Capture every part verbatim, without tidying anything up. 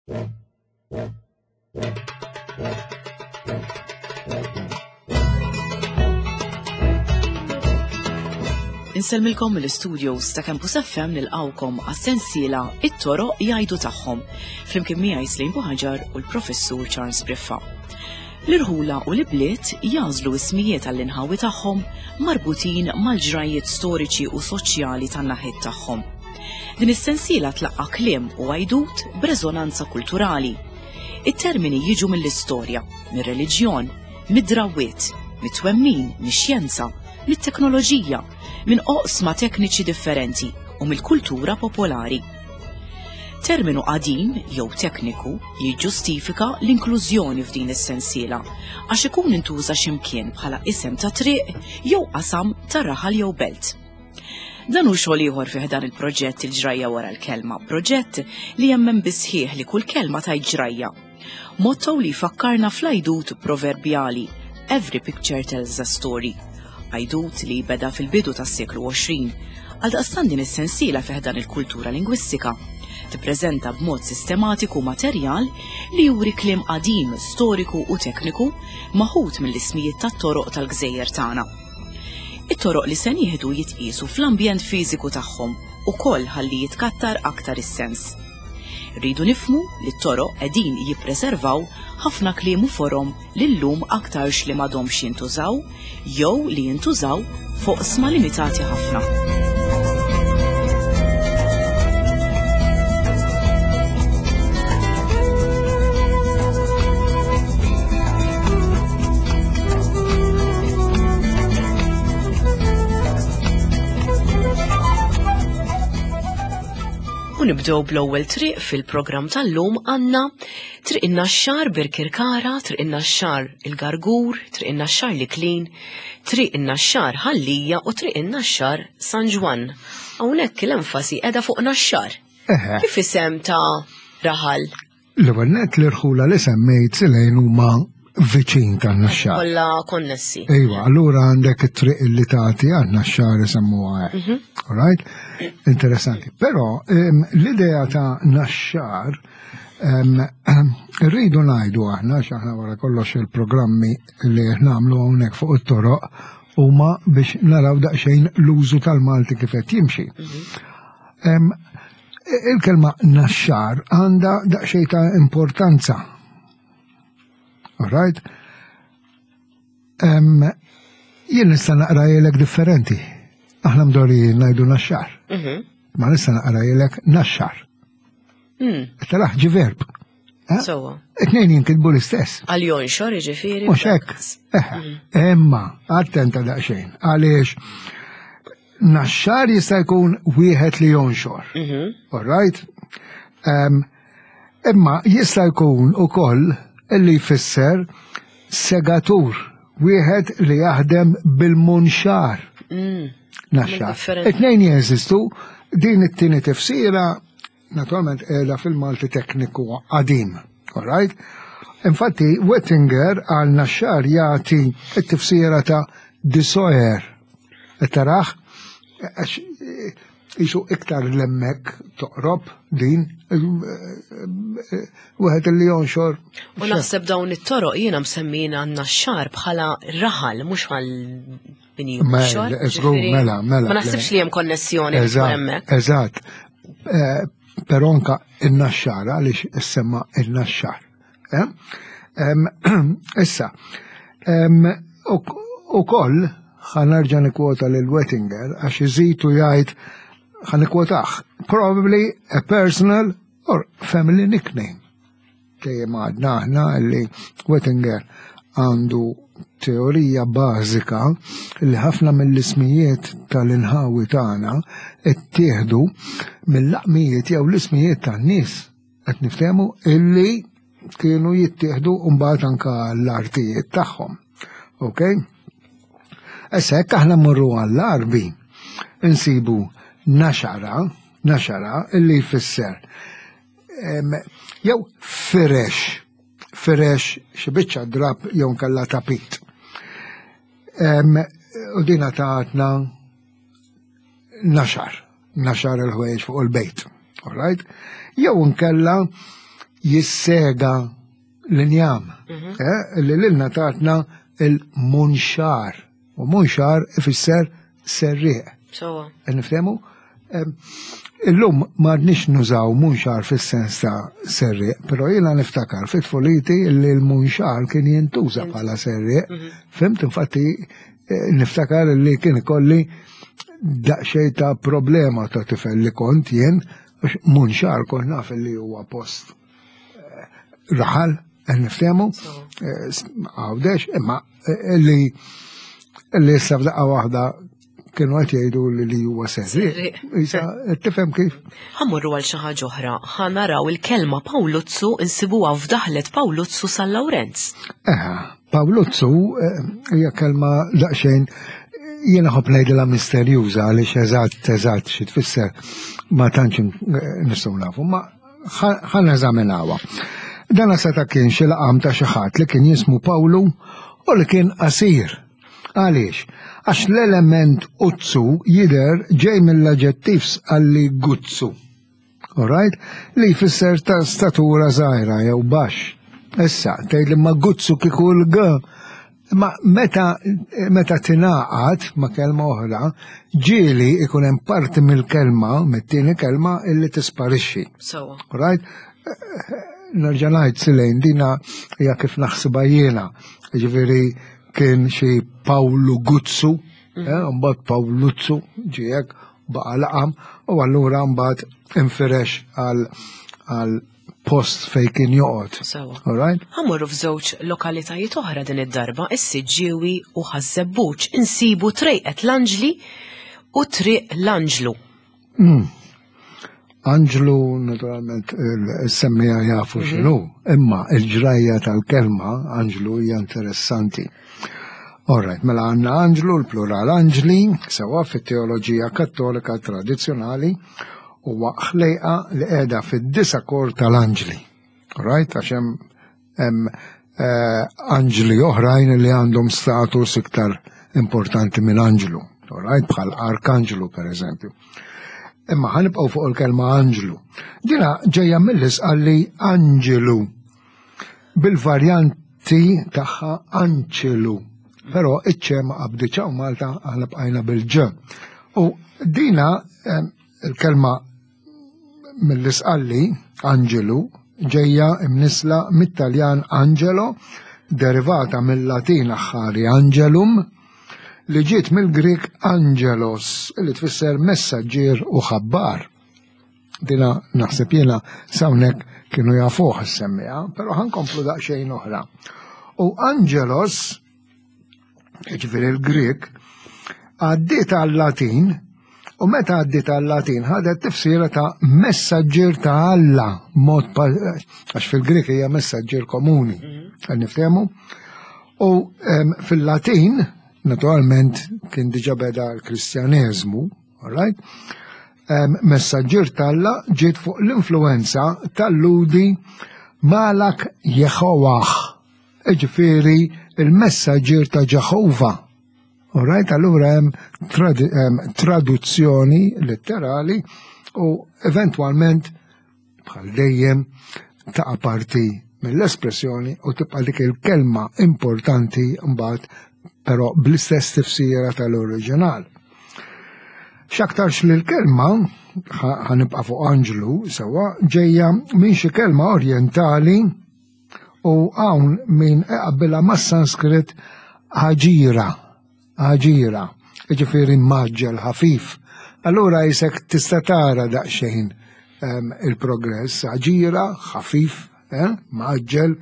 Insellmilkom mill-studios ta' Campus F M nilqawkom għas-sensiela It-Toroq Jgħidu Tagħhom, flimkien miegħi Slim Buħaġar u l-Professur Charles Briffa. L-irħula u l-ibliet jażlu ismijiet għall-inħawi tagħhom marbutin mal-ġrajiet storiċi u soċjali tan-naħiet tagħhom. Din is-sensiela tlaqqa' kliem u għajdut b'reżonanza kulturali. It-termini jiġu mill-istorja, mir-reliġjon, mid-drawwiet, mit-twemmin, mix-xjenza, mit-teknoloġija, minn oqsma tekniċi differenti u mill-kultura popolari. Terminu qadim jew tekniku jiġġustifika l-inklużjoni f'din is-sensiela għax ikun intuża x'imkien bħala isem ta' triq jew qasam ta' raħal jew belt. Dan hu xogħol ieħor fih dan il-proġett Il-Ġrajja Wara l-Kelma, proġett li jemmen bisħieħ li kull kelma tajt ġrajja. Motto li jfakkarna fl-għajdut proverbjali Every picture tells a story. Għajdut li beda fil-bidu tas-seklu għoxrin, għaldaqstant din is-sensiela fih dan il-kultura lingwistika tippreżenta b'mod sistematiku materjal li juri kliem qadim, storiku u tekniku maħut mill-ismijiet tat-toroq tal-gżejjer tagħna. It-toroq li se nieħdu jitqiesu fl-ambjent fiżiku tagħhom ukoll ħalli jitkattar aktar is-sens. Rridu nifhmu li t-toroq qegħdin jippreservaw ħafna kliem u forom li llum aktarx li m'għadhomx jintużaw jew li jintużaw fuq sma limitati ħafna. U nibdew bl-ewwel triq fil-programm tal-lum għandna Triq in-Naxxar Birkirkara, Triq in-Naxxar il-Gargur, Triq in-Naxxar l-Iklin, Triq in-Naxxar Ħal Lija u Triq in-Naxxar San Ġwann. Hawnhekk l-enfasi qiegħda fuq Naxxar. Eħe. Kif isem ta' raħal? L-ewwel nett l-irħula li semmejt silejn huma viċin tan-Naxxar. Kollha konnessi. Ejwa, allura għandek it-triq li tagħti għan-Naxxar isemmuha hekk. Mhm. All right? Interessanti. Però, em, l-idea ta' Naxxar, em, rridu ngħidu aħna, għax aħna wara kollox il-programmi li nagħmlu hawnhekk fuq it-toroq huma biex naraw daqsxejn l-użu tal-Malti kif qed jimxi. Mhm. Em, il-kelma Naxxar għandha daqsxejn ta' importanza. All right? Em, jien nista' naqra jilek differenti. Aħna mdorrijin ngħidu Naxxar. Mhm. Ma nista' naqra jilek Naxxar. Mm. Taraħ ġi verb. Eh? Sewwa. It-tnejn jinkitbu l-istess. Għal jonxor, jiġifieri. Mhux hekk. Eħe. Imma, attenta daqsxejn, għaliex Naxxar jista' jkun wieħed li jonxor. Mhm. All right? Em, imma jista' jkun ukoll illi jfisser segatur, wieħed li jaħdem bil-munxar. Mm. Naxxar. Differenti. It-tnejn jeżistu, din it-tieni tifsira naturalment qiegħda fil-Malti tekniku qadim. All right? Infatti, Wettinger għal Naxxar jagħti t-tifsira ta' disoer. Taraħ, għax jisu iktar lemmek toqrob din, wieħed li jonxor. U naħseb dawn it-toroq jiena msemmina Naxxar bħala raħal, mhux għal min Mela, jonxor, żgur, ġifieri, mela, mela. Ma naħsibx li hemm konnessjoni li tkun Eżatt, hemmhekk. Eżatt. Eh, però anka in-Naxxar, għaliex issemma in-Naxxar. Eh? Em, issa, em, u-, ukoll ħa nerġa' nikkwota lil Wettinger għax iżitu jgħid ħa nikkwotah, probably a personal or family nickname. Dejjem għadna aħna li Wettinger għandu teorija bażika li ħafna mill-ismijiet tal-inħawi tagħna ttieħdu mill-laqmijiet jew l-ismijiet tan-nies. Qed niftehmu illi kienu jittieħdu mbagħad anke l-artijiet tagħhom. Ok? Issa hekk aħna mmorru għall-Arbi insibu naxara, naxara illi jfisser, em, jew firex, firex xi biċċa drab jew nkella tapit. Em, u dina taħtna naxar, naxar il-ħwejjeġ fuq il-bejt. All right? Jew nkella jissega l-injam, eh, li lilna tatna il-munxar. U munxar ifisser serrieq. Sewwa. Nifhemu? Em, Illum m'għadniex nużaw munxar fis-sens ta' serrieq, però jiena niftakar fit-tfuliti li l-munxar kien jintuża bħala serrieq. Fhimt, infatti eh, niftakar li kien ikolli daqsxejn ta' problema ta' tifel li kont jien, għax munxar kont naf li huwa post eh, raħal, eh, niftehmu, eh, Għawdex, imma eh, li li issa f'daqqa waħda kienu qed jgħidu li li huwa serrieq. Serrieq. Issa tifhem kif? Ħa mmorru għal xi ħaġa oħra, ħa naraw il-kelma Pawluzzu insibuha f'daħlet Pawluzzu San Lawrenz. Eħa, Pawluzzu eh, hija kelma daqsxejn jiena ħobb ngħidilha misterjuża għaliex eżatt eżatt xi tfisser ma tantx eh, nistgħu nafu, ma ħa neżaminawha. Dan seta' kien xi laqam ta' xi ħadd li kien jismu Pawlu u li kien qasir. Għaliex? Għax l-element uzzu jidher ġej mill-aġġettiv għalli guzzu. Alright? Li jfisser ta' statura żgħira jew baxx. Issa, tgħid li ma guzzu kieku l-g. Ma meta, meta tingħaqad ma' kelma oħra, ġieli ikun hemm parti mill-kelma, mit-tieni kelma illi tisparixxi. Sewwa. Alright? Nerġa' ngħid silejn dina hija kif naħsibha jiena. Ġifieri kien xi Pawlu Guzzu, eh, mbagħad Pawluzzu ġiek baqa' laqam u allura mbagħad infirex għal għal post fej kien joqgħod. Sewwa. Alright? Ħa mmorru f'żewġ lokalitajiet oħra din id-darba, is-Siġġiewi u Ħaż-Żebbuġ insibu Trejqet l-Anġli u Triq l-Anġlu. Anġlu, naturalment, il-semmija jafu x'inhu, imma il-ġrajja tal-kelma Anġlu hija interessanti. Alright, mela għandna Anġlu, l-plural Anġli, sewa fit-teoloġija kattolika tradizzjonali, huwa ħlejqa li qiegħda fid-disa kor tal-Anġli. Alright, għax hemm hemm eh, anġli oħrajn li għandhom status iktar importanti minn anġlu. Alright, bħal arkanġlu per eżempju. Imma ħa nibqgħu fuq il-kelma anġlu. Dina ġejja mill-Isqalli anġelu bil-varjanti tagħha anċelu. Però iċ-ċe ma qabditx hawn Malta aħna bqajna bil-ġ. U dina em, il-kelma mill-Isqalli anġelu ġejja imnisla mit-Taljan angelo derivata mill-Latin aħħari angelum li ġiet mill-Grik angelos li tfisser messaġġier u ħabbar. Dina naħseb jiena s'hawnhekk kienu jafuh is-semmija, però ħa nkomplu daqsxejn oħra. U angelos, ġifieri il-Grik, għaddiet għal-Latin u meta għaddiet għal-Latin ħadet tifsira ta' messaġġier ta' Alla, mod pa- għax fil-Grik hija messaġġier komuni, għal niftehmu. U em, fil-Latin, naturalment, kien diġa beda l-Kristjaneżmu, all right? Em, messaġġier t'Alla ġiet fuq l-influenza tal-Lhudi Malak Jehovah, ġifieri il-messaġġier ta' Ġeħova. All right, allura hemm trad em, traduzzjoni letterali u eventwalment bħal dejjem taqa' parti mill-espressjoni u tibqa' dik il-kelma importanti mbagħad però bl-istess tifsira tal-oriġinal. X'aktarx li l-kelma ħa nibqa' fuq Anġlu sewwa ġejja minn xi kelma orjentali u hawn min iqabbilha mas-Sanskrit ħaġira, ħaġira, ġifieri mgħaġġel ħafif. Allura jisek tista' tara daqsxejn em, il-progress, ħaġira, ħafif, eh, mgħaġġel,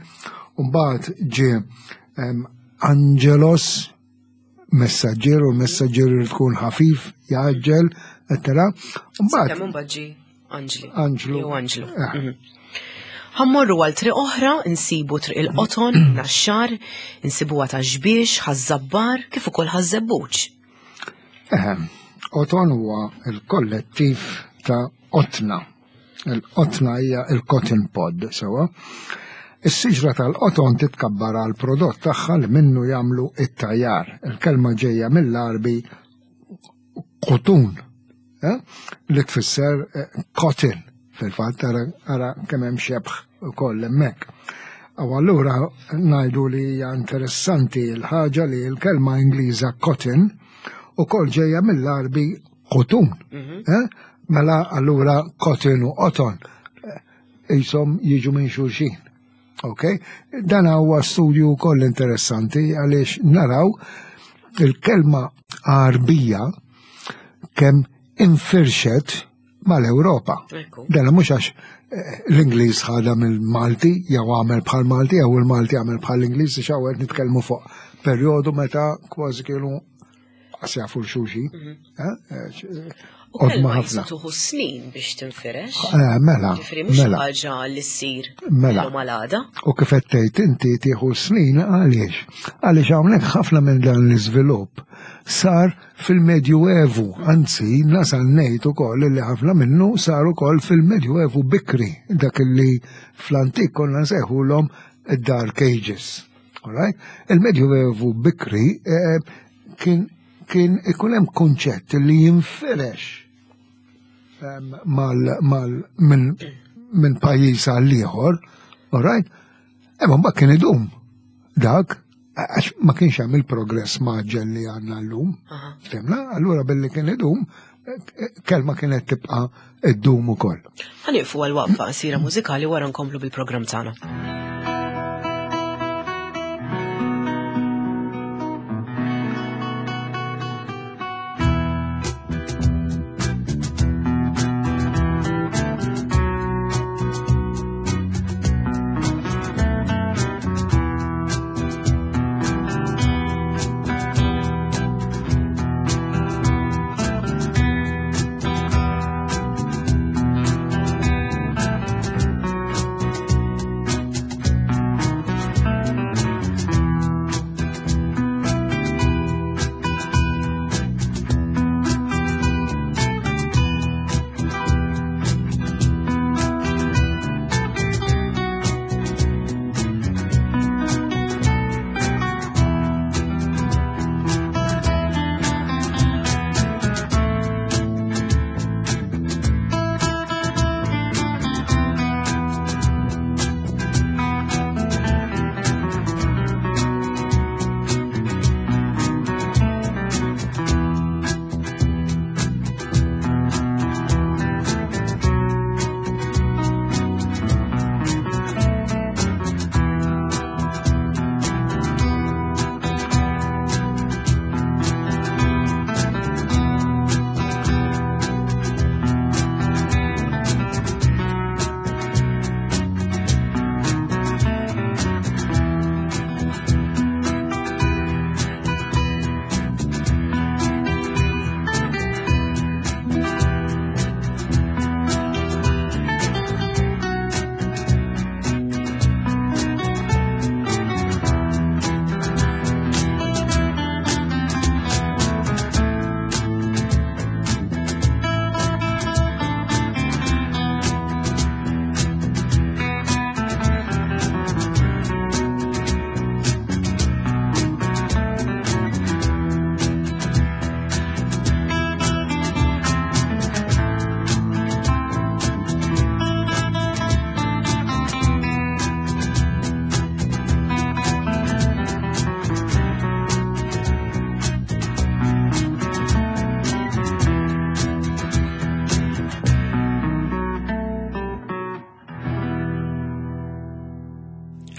u mbagħad ġie em, Angelos, messaġġier u l-messaġġier irid tkun ħafif, jgħaġġel, eccetera. Mbagħad Kemm imbagħad ġie Anġli. Anġlu. Jew Anġlu. Eh. Mhm. Ħa mmorru għal triq oħra, insibu Triq il-Qoton, Naxxar, insibuha ta' Xbiex, Ħaż-Żabbar, kif ukoll Ħaż-Żebbuġ. Eħe, Qoton huwa il-kollettiv ta' qotna. Il-qotna hija il-cotton pod, sewa. Is-siġra tal-qoton titkabbar għal prodott tagħha li minnu jagħmlu it-tajjar. Il-kelma ġejja mill-Arbi qutun, eh? li tfisser eh, cotton Fil-fatt ara kemm hemm xebħ ukoll hemmhekk. U allura ngħidu li hija interessanti l-ħaġa li l-kelma Ingliża cotton ukoll ġejja mill-Għarbi qutun. Mela allura cotton u qoton jisom jiġu minn xulxin. Ok? Dan huwa studju wkoll interessanti għaliex naraw il-kelma Għarbija kemm infirxet mal-Ewropa. Dan mhux għax l-Ingliż ħadha mill-Malti jew għamel bħal Malti jew il-Malti għamel bħal l-Ingliż, għax hawn qed nitkellmu fuq perjodu meta kważi kienu qas jafu l-xulxin. U kelma tuħu snin biex tinfirex. Mela. Ġifieri mhux mela. ħaġa li ssir Mela. illum għal għada. U kif qed tgħid inti tieħu snin għaliex? Għaliex hawnhekk ħafna minn dan l-iżvilupp sar fil-Medjuevu, anzi nasal ngħid ukoll li ħafna minnu sar ukoll fil-Medjuevu bikri, dak li fl-antik konna nsejħulhom id-Dark Ages. All right? Il-Medjuevu bikri eh, kien kien ikun hemm kunċett li jinfirex em, mal, mal, minn min pajjiż għal ieħor, all right? Imma mbagħad kien idum dak għax ma kienx hemm il-progress mgħaġġel li għandna llum. Aha. Fhimna? Allura billi kien idum, kelma kienet tibqa' iddum ukoll. Ħa nieqfu għal waqfa qasira mużikali wara nkomplu bil-programm tagħna.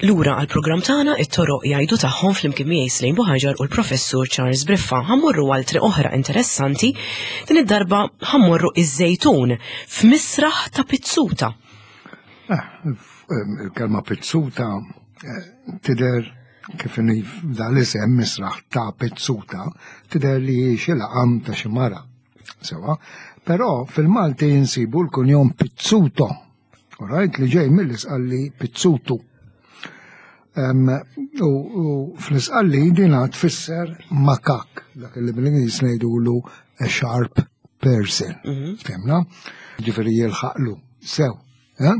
Lura għal programm tagħna it-toroq jgħidu tagħhom flimkien miegħi Slejn Buħaġar u l-Professur Charles Briffa. Ħa mmorru għal triq oħra interessanti, din id-darba ħa mmorru iż-Żejtun f'misraħ ta' Pizzuta. Ah, il-kelma Pizzuta eh, tidher kif inhi dal-isem misraħ ta' Pizzuta, tidher li hi xi laqam ta' xi mara. Sewa, però fil-Malti jinsibu l-kunjom Pizzuto, all right, li ġej mill-Isqalli Pizzutu. Em, U u fl-Isqalli dina tfisser makak, dak li bil-Ingliż ngħidulu a sharp person. Fhimna? Ġifieri jilħaqlu sew. Eh?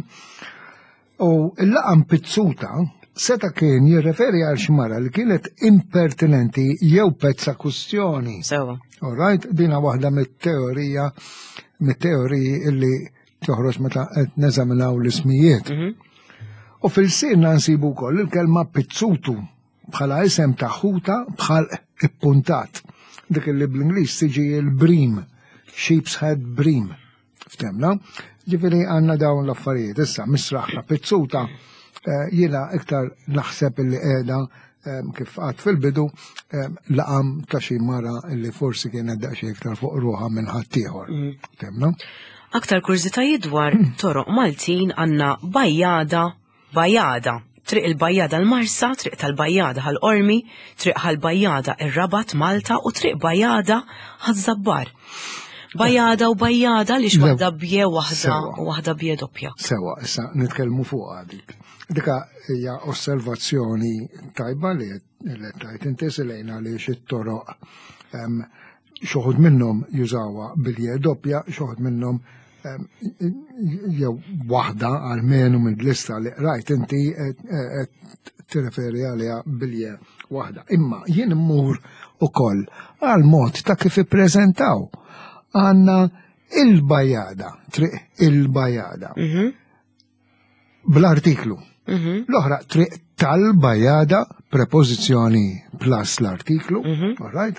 U il-laqam Pizzuta seta kien jirreferi għal xi mara li kienet impertinenti jew pezza kustjoni. Sewa. All right, dina waħda mit-teorija, mit-teoriji illi Toħroġ meta qed neżaminaw l-ismijiet. Mhm. U fil-sinna nsibu wkoll il-kelma pizzutu bħala isem ta' ħuta bħal ippuntat. Dik li bl-Ingliż tiġi il-bream, sheep's head bream. Ftemna? Ġifieri għandna dawn l-affarijiet. Issa misraħ ta' pizzuta eh, jiena iktar naħseb illi qiegħda eh, kif għad fil-bidu eh, laqam ta' xi mara illi forsi kienet daqsxejn iktar fuq ruħha minn ħaddieħor. Ftemna? Aktar kurżitajiet dwar toroq Maltin għandna Bajjada, Bajjada, Triq il-Bajjada l-Marsa, Triq tal-Bajjada Ħal Qormi, Triq Ħal-Bajjada ir-Rabat Malta u Triq Bajjada Ħaż-Żabbar. Bajjada u Bajjada li waħda b'je waħda Sewa. u waħda b'je doppja. Sewa, issa nitkellmu fuq dik. Dika hija osservazzjoni tajba li li tajt inti silejna li it-toroq em, xi wħud minnhom jużawha bil-je doppja, xi wħud minnhom em, jew waħda għalmenu mill-lista li rajt inti qed- qed tirreferi għaliha bil-je waħda. Imma jien immur ukoll għal mod ta' kif ippreżentaw. Għandna il-Bajada, triq il-Bajada Mhm, bl-artiklu. mhm, L-oħra triq tal-Bajada, prepożizzjoni plus l-artiklu, Mhm. all right?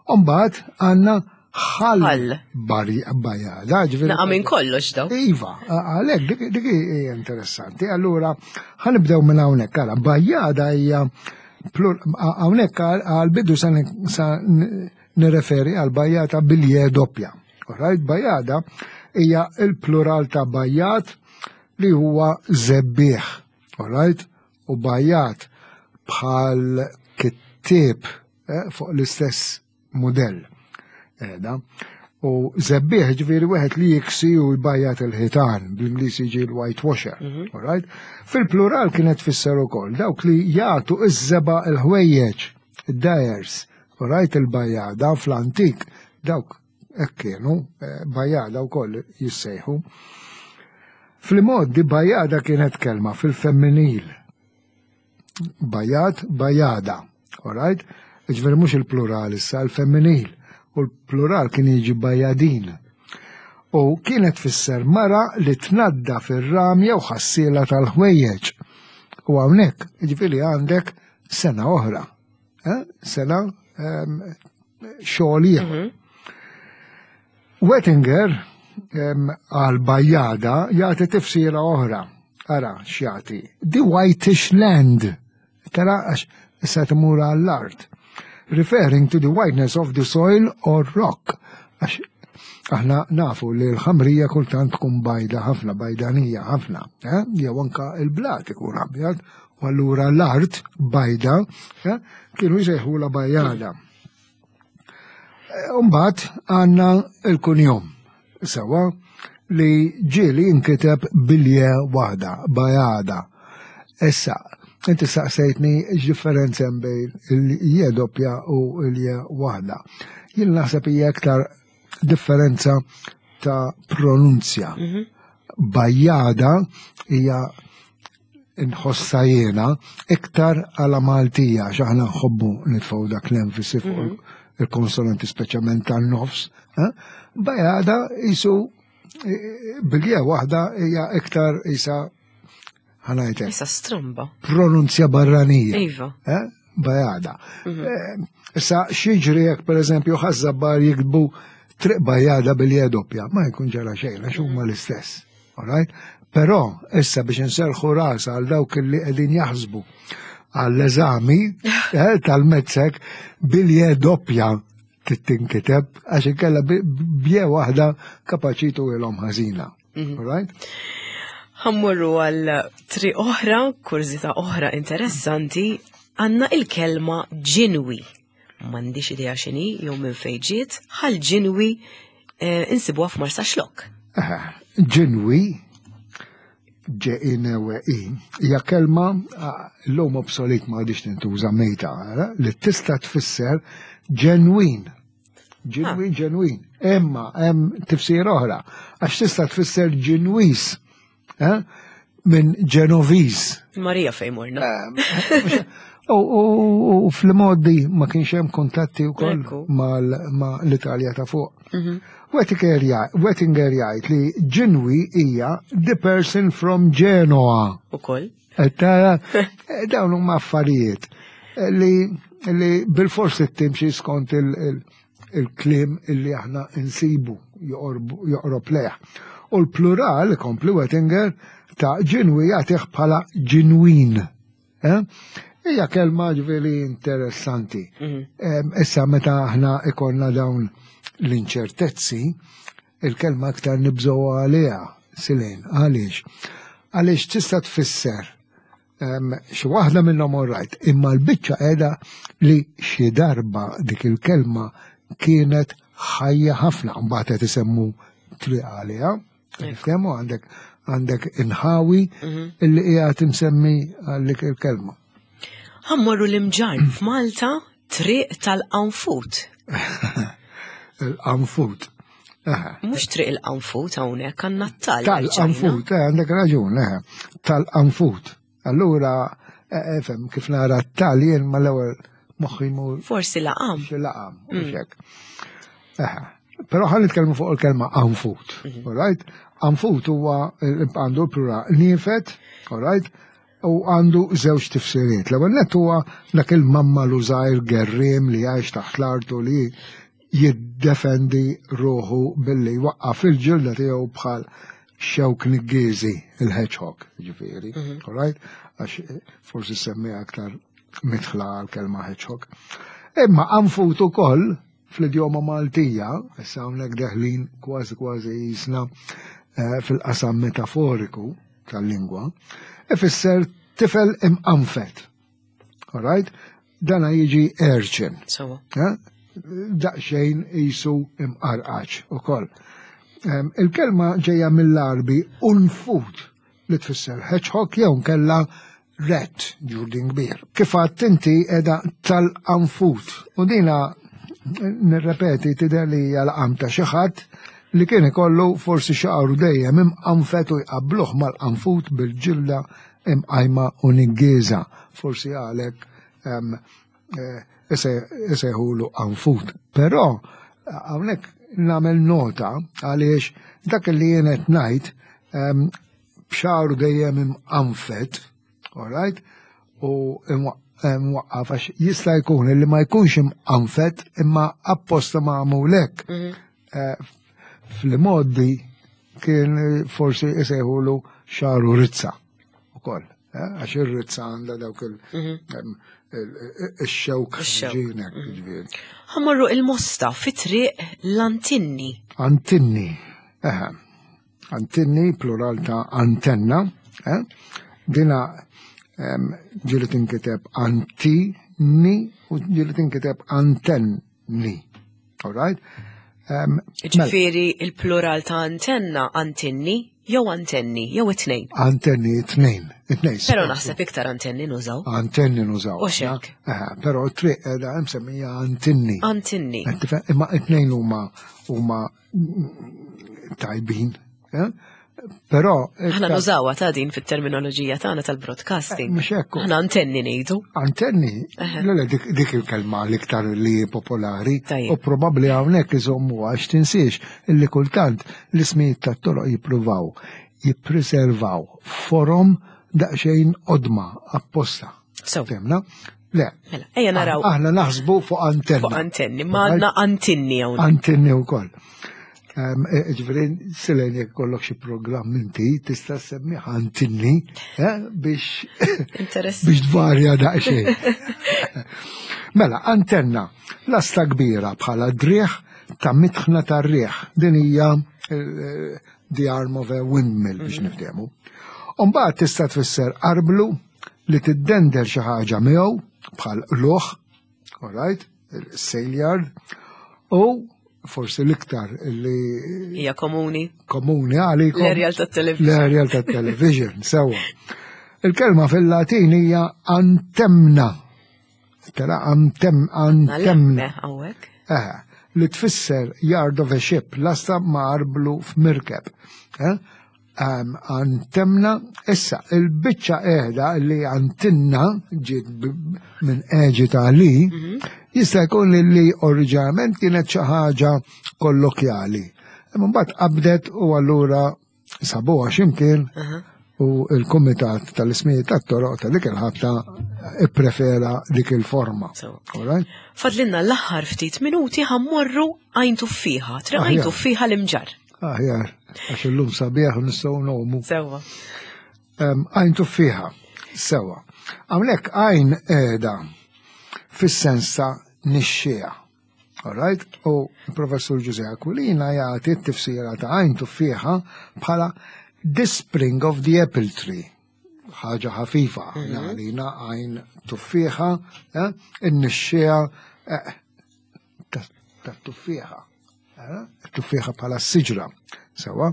Umbagħad għandna ħal Ħal. bari- Bajada, ġifieri- Naqa minn kollox daw. Iva, għalek, dik dik hija interessanti. Allura, ħa nibdew minn hawnhekk. Ara, Bajada hija plur- hawnhekk għal-bidu sa ni- sa n- nirreferi għal bajjata bil-je doppja. Alright, bajjada hija il-plural ta' bajjat li huwa żebbieħ. Alright? U bajjat bħal kittieb eh, fuq l-istess modell. Eda. U żebbieħ ġifieri wieħed li jiksi u jbajjat il-ħitan, bl-Ingliż jiġi l-whitewasher. Alright? Fil-plural kienet tfisser ukoll dawk li jagħtu iż-żebgħa il-ħwejjeġ, id-dyers, alright il-bajjada fl-antik, dawk hekk kienu, eh, bajjada wkoll jissejħu. Fil-modi bajjada kienet kelma fil-femminil. Bajjat, bajjada, alright? Ġifieri mhux il-plural issa, il-femminil. U l-plural kien jiġi bajjadin. U kienet tfisser mara li tnadda fir-ram jew ħassiela tal-ħwejjeġ. U hawnhekk, ġifieri għandek sena oħra. Eh? Sena em, xogħol ieħor. Wettinger em, għal bajjada jagħti tifsira oħra. Ara x'jagħti. The whitish land. Tara għax issa tmur għall-art. Referring to the whiteness of the soil or rock. Għax aħna nafu li l-ħamrija kultant tkun bajda ħafna, bajdanija ħafna. Eh? Jew anka il-blat ikun abjad, u allura l-art bajda eh? kienu jsejħula bajjada. Umbagħad għandna il-kunjom, sewa, li ġieli inkiteb bil-je waħda, bajada. Issa, inti saqsejtni x'differenza hemm bejn il-je doppja u il-je waħda. Jien naħseb hija aktar differenza ta' pronunzja. Bajjada hija nħossa jiena iktar għala Maltija, x'aħna nħobbu nitfgħu dak l-enfasi fuq il-konsonanti speċjalment tan-nofs. eh? Bajada jisu eh, bil-je waħda hija iktar isa ħa ngħidlek Issa stramba. pronunzja barranija. Iva. Eh? Bajada. Eh, Issa x'jiġri jekk per eżempju Ħaż-Żabbar jiktbu triq Bajada bil-je doppja, ma jkun ġara xejn għax huma l-istess. Alright? Però issa biex nserħu ras għal dawk li qegħdin jaħsbu għall-eżami eh, tal-MATSEC bil-je doppja tinkiteb għax inkella bi- b'je waħda kapaċi ilhom ħażina. Alright? Ħa mmorru għal triq oħra, kurżità oħra interessanti, għandna il-kelma ġinwi. M'għandix idea x'inhi jew minn fejn ġiet, ħal ġinwi eh, insibuha f'Marsaxlokk. Eh, Ġinwi, Ġ-I-N-W-I, hija kelma ah, l-lum obsolet ma għadix tintuża mejta, eh, li tista' tfisser ġenwin. Ġenwin, ġenwin. Imma hemm tifsir oħra, għax tista' tfisser ġinwis, eh, minn Ġenoviż. Marija fejn morna. Eh, U fl-modi ma kienx hemm kuntatti wkoll ma' l-Italja ta' fuq. Wettinger jgħid li Ġinwi hija the person from Genoa. Ukoll. Tara, dawn huma affarijiet li li bil-forsi timxi skont il-kliem illi aħna insibu joqrob lejh. U l-plural, kompli Wettinger, ta' Ġinwi jagħtih bħala ġinwin. Hija kelma ġifieri interessanti. Issa meta aħna ikollna dawn l-inċertezzi, il-kelma aktar nibżgħu għaliha, Silene, għaliex? Għaliex tista' tfisser xi waħda minnhom all right, imma l-biċċa qiegħda li xi darba dik il-kelma kienet ħajja ħafna, mbagħad qed isemmu triq għaliha. Niftehmu għandek għandek inħawi illi qiegħed imsemmi għal dik il-kelma. Ħa mmorru l-Imġarr f'Malta, triq tal-Qanfut. Il-Qanfut. Mhux triq il-Qanfut hawnhekk għandna tal. Tal-Qanfut, għandek raġun, tal-Qanfut. Allura, fem, kif nara tal jien mal-ewwel moħħi mur. Forsi laqam. Xi laqam, mhux hekk. Però ħa nitkellmu fuq il-kelma qanfut, all right? Qanfut huwa għandu l-plural niefet, all right? U għandu żewġ tifsiriet. L-ewwel nett huwa dak il-mammalu żgħir gerriem li jgħix taħt l-art u li jiddefendi ruħu billi jwaqqaf il-ġilda tiegħu bħal xewk niggiżi, il-hedgehog, ġifieri, all right? Għax forsi semmi aktar mitħla għal-kelma hedgehog. Imma qanfut ukoll fl-idjoma Maltija, issa hawnhekk deħlin kważi kważi jisna fil-qasam metaforiku tal-lingwa, ifisser tifel imqanfet. All right? Dana jiġi urchin. Sewa. Daqsxejn jisu imqarqaċ ukoll. Il-kelma ġejja mill-Arbi unfut li tfisser hedgehog jew kella rat, ġurdin kbir. Kif għedt inti edha tal-qanfut. U dina nirrepeti tidher li hija laqam ta' xi ħadd li kien ikollu forsi xaqru dejjem imqanfet u jqabbluh mal-qanfut bil-ġilda imqajma u niggiża. Forsi għalhekk isejħulu qanfut. Però hawnhekk nagħmel nota għaliex dak li jien qed ngħid b'xagħru dejjem imqanfet, all right? U imwaqqaf għax jista' jkun li ma jkunx imqanfet imma apposta magħmul hekk. Fl-modi kien forsi isejħulu xagħru rizza ukoll, għax ir-rizza għandha dawk il-xewk ġinek, ġifieri. Ħa mmorru il-Mosta fi triq l-Antinni. Antinni, eħe. Antinni, plural ta' antenna, eh? Dina ġieli tinkiteb antini u ġieli tinkiteb antenni. All right? Ġifieri il-plural ta' antenna, antinni, jew antenni, jew it-tnejn. Antenni, it-tnejn. It-tnejn. Però naħseb iktar antenni nużaw. Antenni nużaw. U xek. Però triq edha msemmija antinni. Antinni. Imma it-tnejn huma huma tajbin. Però Aħna nużawha ta' din fit-terminoloġija tagħna tal-broadcasting. Mhux hekk. Aħna antenni ngħidu. Antenni? Le, le, dik il-kelma l-iktar li popolari. Tajjeb. U probabbli hawnhekk iżommu għax tinsiex illi kultant l-ismijiet tat-toroq jippruvaw jippreservaw forom daqsxejn qodma apposta. So. Fhimna? Le. Mela, ejja naraw. Aħna naħsbu fuq antenna. Fuq antenni, ma għandna antinni hawnhekk. Antinni wkoll. Ġifieri, Silene, jekk kollok xi programm inti, tista' semmih antinni, eh, biex Interessanti. biex tvarja daqsxejn. Mela, antenna, lasta kbira bħala driegħ ta' mitħna tar-riħ. Din hija eh, the arm of a windmill biex niftehmu. Umbagħad tista' tfisser arblu li tiddender xi ħaġa miegħu bħal luħ, all right, il-sail u forsi l-iktar li Hija komuni. Komuni għalikom. L-aerial tat-television. L-aerial tat-television, sewa. Il-kelma fil-Latin hija antemna. Tara antem, antemna. Hawnhekk. Eh, li tfisser yard of a ship, lasta ma' arblu f'mirkeb. Eh? Għantemna, issa, il-bicċa qiegħda li għantinna ġiet minn Eġita li, mhm. jista' jkun li oriġinarjament kienet xi ħaġa kollokjali. Imma mbagħad qabdet u allura sabuha x'imkien u il-Kumitat tal-Ismijiet tat-Toroq ta' dik il-ħabta ipprefera dik il-forma. Fadlinna l-aħħar ftit minuti, ħa mmorru Għajn Tuffieħa, Triq Għajn Tuffieħa l-Imġarr. Aħjar, għax illum sabiħ u nistgħu ngħumu. Sewwa. Għajn Tuffieħa, sewwa. Hawnhekk għajn qiegħda fis-sens ta' nixxiegħa. All right? U professur Ġużè Aquilina jagħti t-tifsira ta' Għajn Tuffieħa bħala "the spring of the apple tree". Ħaġa ħafifa, mhm. għalina għajn tuffieħa, eh, in-nixxiegħa eh, ta' tuffieħa. Eh, tuffieħa bħala siġra. Sewwa.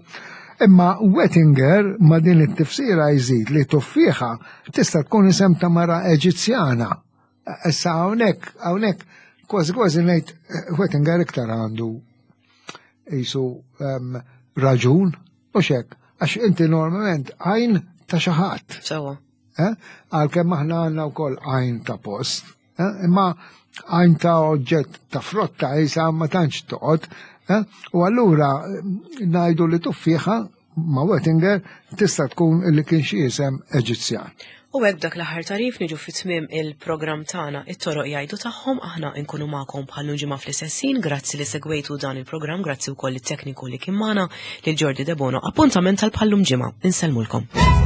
Imma Wettinger ma din it-tifsira jżid li tuffieħa tista' tkun isem ta' mara Eġizzjana. Issa hawnhekk, hawnhekk kważi kważi ngħid Wettinger iktar għandu jisu um, raġun u xek, għax inti normalment għajn ta' xi ħadd. Sewwa. Eh? Għalkemm aħna għandna wkoll għajn ta' post, eh? Imma għajn ta' oġġett ta' frotta jisa ma tantx toqgħod. Eh? U allura ngħidu li tuffieħa ma' Wettinger tista' tkun li kien xi isem Eġizzjan. U hekk dak l-aħħar tarif niġu fi tmiem il-programm tagħna It-Toroq Jgħidu Tagħhom. Aħna nkunu magħkom bħal ġimgħa fl-istess ħin. Grazzi li segwejtu dan il-programm, grazzi wkoll it-tekniku li kien magħna, lil Jordi Debono. Appuntament tal bħallum ġimgħa. Insellmulkom.